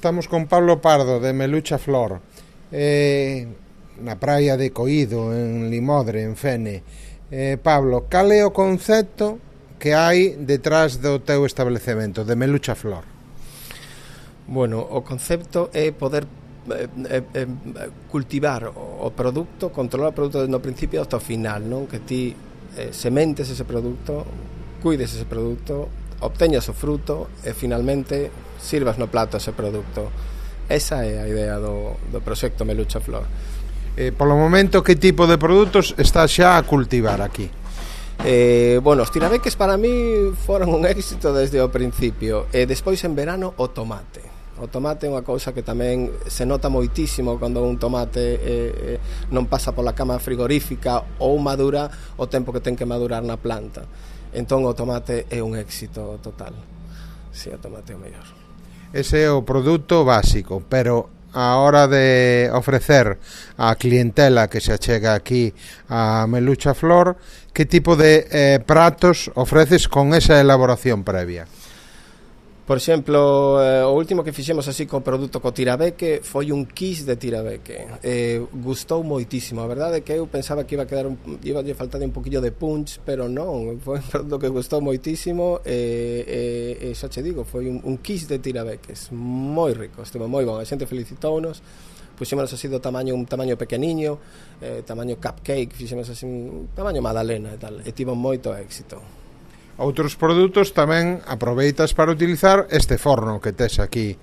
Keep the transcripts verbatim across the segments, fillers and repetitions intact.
Estamos con Pablo Pardo de Melucha Flor, eh, na praia de Coído, en Limodre, en Fene. eh, Pablo, cal é o concepto que hai detrás do teu establecemento de Melucha Flor? Bueno, o concepto é poder eh, eh, cultivar o produto, controlar o produto no principio hasta o final, non? Que ti eh, sementes ese produto, cuides ese produto, obteñas o fruto e finalmente sirvas no plato ese produto. Esa é a idea do, do proxecto Melucha Flor. Eh, polo momento, que tipo de produtos estás xa a cultivar aquí? Eh, bueno, os tirabeques para mí foron un éxito desde o principio. E despois en verano o tomate. O tomate é unha cousa que tamén se nota moitísimo cando un tomate eh, non pasa pola cama frigorífica ou madura o tempo que ten que madurar na planta. Entón o tomate é un éxito total. Si, o tomate é o mellor. Ese é o produto básico, pero a hora de ofrecer a clientela que se achega aquí a Melucha Flor, que tipo de eh, pratos ofreces con esa elaboración previa? Por exemplo, eh, o último que fixemos así co produto co tirabeque foi un quiz de tirabeque. Eh, gustou moitísimo. A verdade é que eu pensaba que iba a quedar un, iba a faltar un poquillo de punch, pero non, foi un produto que gustou moitísimo e, e, e xa che digo, foi un, un quiz de tirabeques moi rico, estuvo moi bon, a xente felicitounos. Puxémonos así do tamaño, un tamaño pequeniño, eh, tamaño cupcake, fixemos así un tamaño magdalena e tal, e tivo moito éxito. Outros produtos tamén aproveitas para utilizar este forno que tes aquí.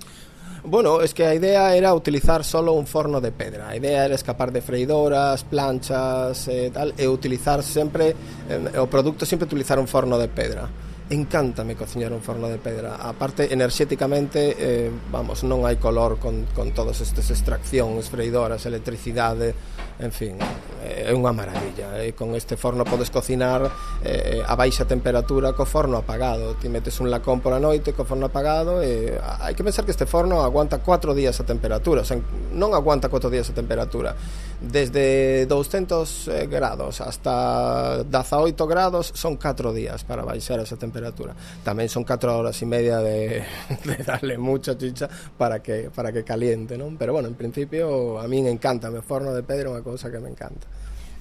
Bueno, es que a idea era utilizar solo un forno de pedra. A idea era escapar de freidoras, planchas e tal, e utilizar sempre eh, o produto sempre utilizar un forno de pedra. Encántame cociñar un forno de pedra. Aparte, enerxéticamente, eh, vamos, non hai color con, con todas estas extraccións, freidoras, electricidade, en fin, é unha maravilla. E con este forno podes cocinar eh, a baixa temperatura co forno apagado. Ti metes un lacón por a noite co forno apagado e hai que pensar que este forno aguanta cuatro días a temperatura, o sea, non aguanta cuatro días a temperatura. Desde douscentos grados hasta dezaoito grados son catro días para baixar esa temperatura. Tamén son catro horas e media de, de darle mucha chicha para que, para que caliente, non? Pero bueno, en principio a min encanta, me forno de pedra é unha cousa que me encanta.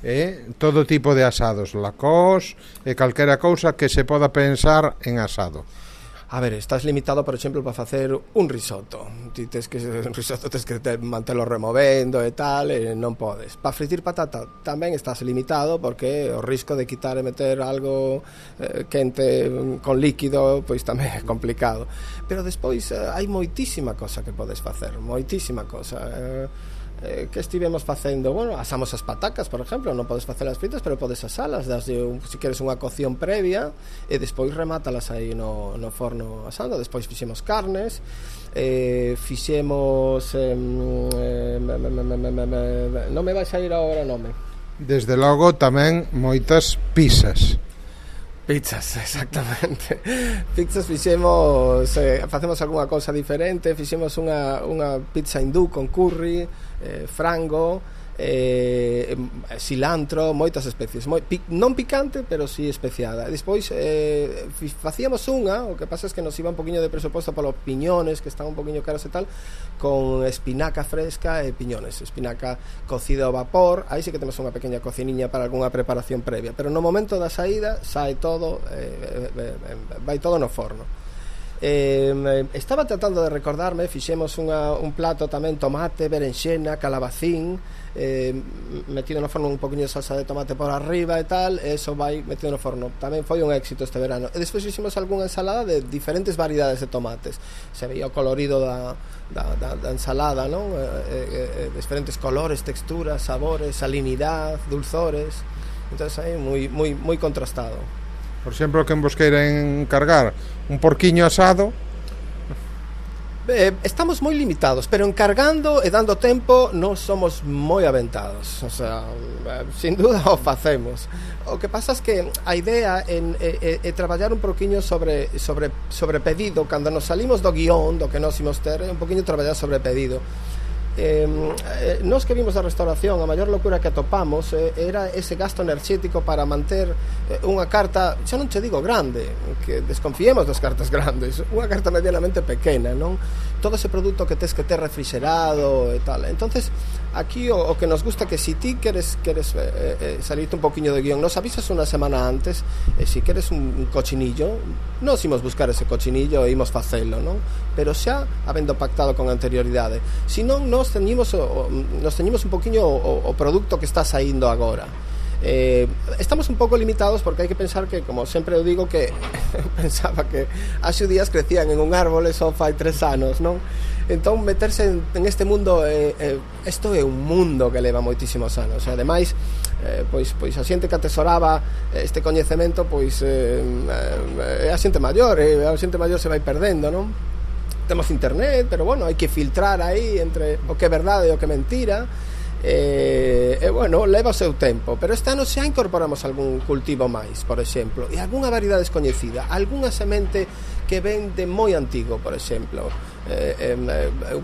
E todo tipo de asados, lacós e calquera cousa que se poda pensar en asado. A ver, estás limitado, por exemplo, para facer un risotto. Ti tes que un risotto tes que te, mantelo removendo e tal, e non podes. Para fritir patata tamén estás limitado porque o risco de quitar e meter algo eh, quente con líquido, pois tamén é complicado. Pero despois eh, hai moitísima cosa que podes facer, moitísima cosa. Eh, Eh, que estivemos facendo? Bueno, asamos as patacas, por exemplo, non podes facelas fritas, pero podes asalas, daslle un, se queres unha cocción previa e despois remátalas aí no, no forno asando. Despois fixemos carnes, eh, fixemos eh, eh, me, me, me, me, me, me, non me vais a ir agora nome. Desde logo tamén moitas pizzas. Pizzas, exactamente. Pizzas fixemos, eh, facemos algunha cousa diferente. Fixemos unha, unha pizza hindú con curry, eh, frango, eh, cilantro, moitas especies, moi, pi, non picante, pero si sí especiada. E despois eh, facíamos unha, o que pasa é que nos iba un poquinho de presuposto polos piñones, que están un poquinho caros e tal, con espinaca fresca e piñones, espinaca cocida ao vapor. Aí sí que temos unha pequena cociniña para algunha preparación previa, pero no momento da saída sae todo, eh, eh, eh, vai todo no forno. Eh, estaba tratando de recordarme, fixemos unha, un plato tamén, tomate, berenxena, calabacín, eh, metido no forno un poquinho de salsa de tomate por arriba e tal, e eso vai metido no forno. Tamén foi un éxito este verano. E despois fixemos algunha ensalada de diferentes variedades de tomates. Se veía o colorido da, da, da, da ensalada, non? Eh, eh, diferentes colores, texturas, sabores, salinidade, dulzores. Entón aí moi, moi, moi contrastado. Por exemplo, quen vos queira encargar un porquiño asado? Eh, estamos moi limitados, pero encargando e dando tempo non somos moi aventados. O sea, sin duda o facemos. O que pasa é que a idea é, é, é traballar un porquiño sobre, sobre, sobre pedido. Cando nos salimos do guión, do que nos imos ter, é un poquinho traballar sobre pedido. Eh, eh, nos que vimos da restauración, a maior locura que atopamos eh, era ese gasto enerxético para manter eh, unha carta, xa non che digo grande, que desconfiemos das cartas grandes, unha carta medianamente pequena, non? todo ese produto que tes que ter refrigerado e tal. Entonces aquí o, o que nos gusta que si ti queres, queres eh, eh, salirte un poquinho de guión, nos avisas unha semana antes, e eh, si queres un, un cochinillo, nos imos buscar ese cochinillo e imos facelo, non? Pero xa habendo pactado con anterioridade. Si non, nos teñimos o, nos teñimos un poquinho o, o produto que está saindo agora. Eh, estamos un pouco limitados porque hai que pensar que, como sempre eu digo, que pensaba que as xudías crecían en un árbol e só fai tres anos, non? Entón meterse en, en este mundo eh, eh, isto é un mundo que leva moitísimos anos, e ademais eh, pois, pois a xente que atesoraba este coñecemento pois eh, eh, a xente maior, e a xente maior se vai perdendo, non? Temos internet, pero bueno, hai que filtrar aí entre o que é verdade e o que é mentira. E, e bueno, leva o seu tempo, pero este ano xa incorporamos algún cultivo máis, por exemplo, e algunha variedade descoñecida, algunha semente que ven de moi antigo, por exemplo, eh, eh,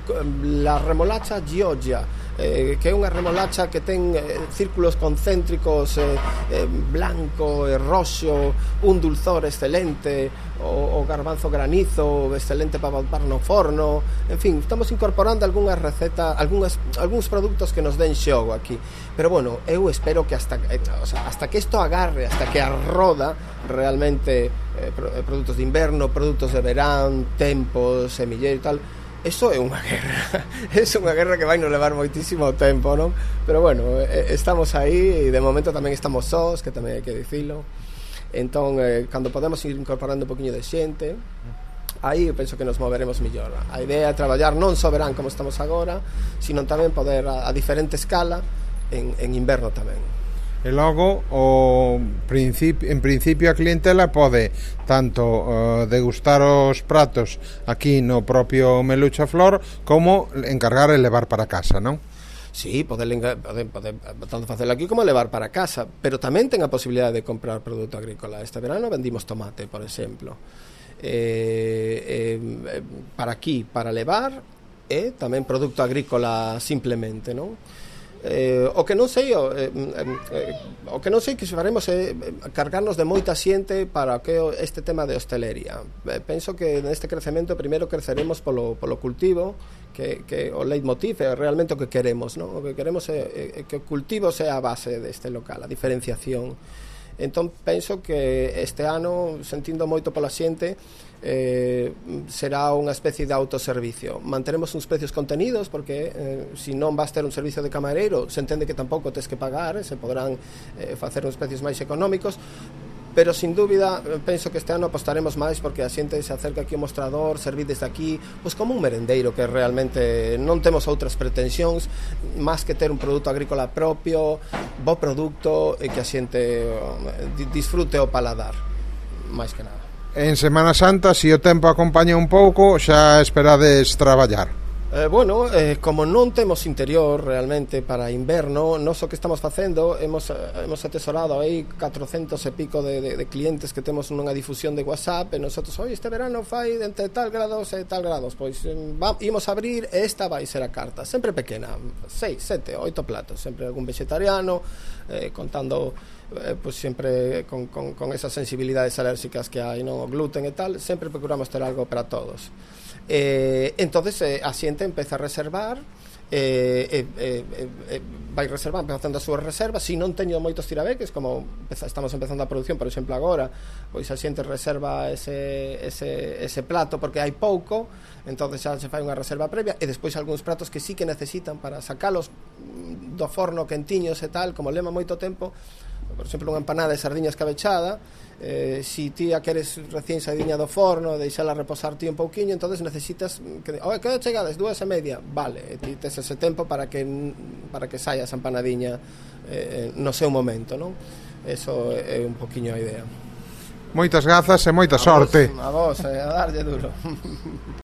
la remolacha Gioia, eh, que é unha remolacha que ten eh, círculos concéntricos, eh, eh, blanco e roxo, un dulzor excelente, o, o garbanzo granizo excelente para botar no forno. En fin, estamos incorporando algunhas recetas, algunhas, algúns produtos que nos den xogo aquí, pero bueno, eu espero que hasta, eh, o sea, hasta que isto agarre, hasta que arroda realmente eh, produtos de inverno, produtos de verán, tempos, semilleiro e tal. Eso é unha guerra, é unha guerra que vai nos levar moitísimo tempo, non? Pero bueno, eh, estamos aí, e de momento tamén estamos sós, que tamén hai que dicilo. Entón, eh, cando podemos ir incorporando un poquinho de xente, aí penso que nos moveremos mellor. A idea é traballar non só verán como estamos agora, sino tamén poder a, a diferente escala en, en inverno tamén. E logo o principio, en principio a clientela pode tanto uh, degustar os pratos aquí no propio Melucha Flor, como encargar e levar para casa, non? Sí, poder, poder, poder tanto facelo aquí como levar para casa, pero tamén ten a posibilidade de comprar produto agrícola. Este verano vendimos tomate, por exemplo, eh, eh, para aquí, para levar, e tamén produto agrícola simplemente, non? Eh, o que non sei o, eh, eh, o que non sei que faremos é cargarnos de moita xente para que este tema de hostelería. Eh, penso que neste crecemento primeiro creceremos polo, polo cultivo, que, que o leitmotiv é realmente o que queremos, non? O que queremos é, é que o cultivo sea a base deste local, a diferenciación. Entón penso que este ano, sentindo moito pola xente, eh, será unha especie de autoservicio. Manteremos uns precios contenidos, porque eh, se non vas ter un servicio de camareiro, se entende que tampouco tes que pagar, se poderán eh, facer uns precios máis económicos, pero sin dúbida penso que este ano apostaremos máis porque a xente se acerca aquí ao mostrador, servir desde aquí, pois como un merendeiro, que realmente non temos outras pretensións máis que ter un produto agrícola propio, bo produto, e que a xente disfrute o paladar, máis que nada. En Semana Santa, se o tempo acompaña un pouco, xa esperades traballar? Eh, bueno, eh, como non temos interior realmente para inverno, nós o que estamos facendo, hemos, hemos atesorado aí catrocentos e pico de, de, de clientes que temos nunha difusión de WhatsApp, e nosotros, oi, este verano fai entre tal grados e tal grados, pois va, imos a abrir, e esta vai ser a carta, sempre pequena, seis, sete, oito platos, sempre algún vegetariano, eh, contando eh, pues sempre con, con, con esas sensibilidades alérxicas que hai, non, o gluten e tal, sempre procuramos ter algo para todos. Eh, entonces eh, a xente empeza a reservar, eh, eh, eh, eh, vai reservando, facendo as súas reservas. Se non teño moitos tirabeques, como empeza, estamos empezando a produción, por exemplo agora, pois a xente reserva ese, ese, ese plato porque hai pouco, entonces xa se fai unha reserva previa, e despois algúns pratos que sí que necesitan para sacalos do forno quentiños e tal, como lema moito tempo, por exemplo unha empanada de sardiñas cabechada, eh, si ti a queres recién saídiña do forno, deixala reposar ti un pouquiño, entonces necesitas que, oh, que chegades dúas e media, vale, ti tes ese tempo para que para que saia esa empanadiña eh, no seu momento, non? Eso é un poquiño a idea. Moitas grazas e moita a sorte. Vos, a vos, eh, a darlle duro.